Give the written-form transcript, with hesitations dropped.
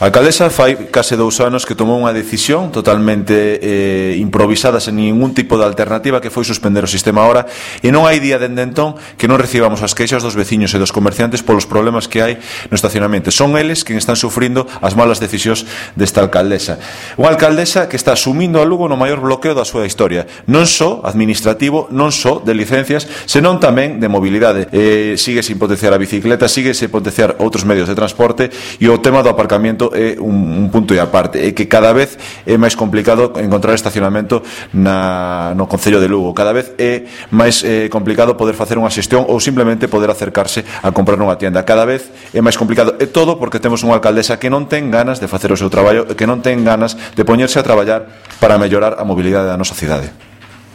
A alcaldesa fai case 2 anos que tomou unha decisión totalmente improvisada, sen ningún tipo de alternativa, que foi suspender o sistema Hora, e non hai día dende entón que non recibamos as queixas dos veciños e dos comerciantes polos problemas que hai no estacionamento. Son eles quen están sufrindo as malas decisións desta alcaldesa. Unha alcaldesa que está asumindo a Lugo no maior bloqueo da súa historia, non só administrativo, non só de licencias, senón tamén de mobilidade. Sigue sin potenciar a bicicleta, sigue sin potenciar outros medios de transporte, e o tema do aparcamiento é un punto e aparte, é que cada vez é máis complicado encontrar estacionamento no Concello de Lugo, cada vez é máis complicado poder facer unha xestión ou simplemente poder acercarse a comprar nunha tienda, cada vez é máis complicado, e todo porque temos unha alcaldesa que non ten ganas de facer o seu traballo, que non ten ganas de poñerse a traballar para mellorar a mobilidade da nosa cidade.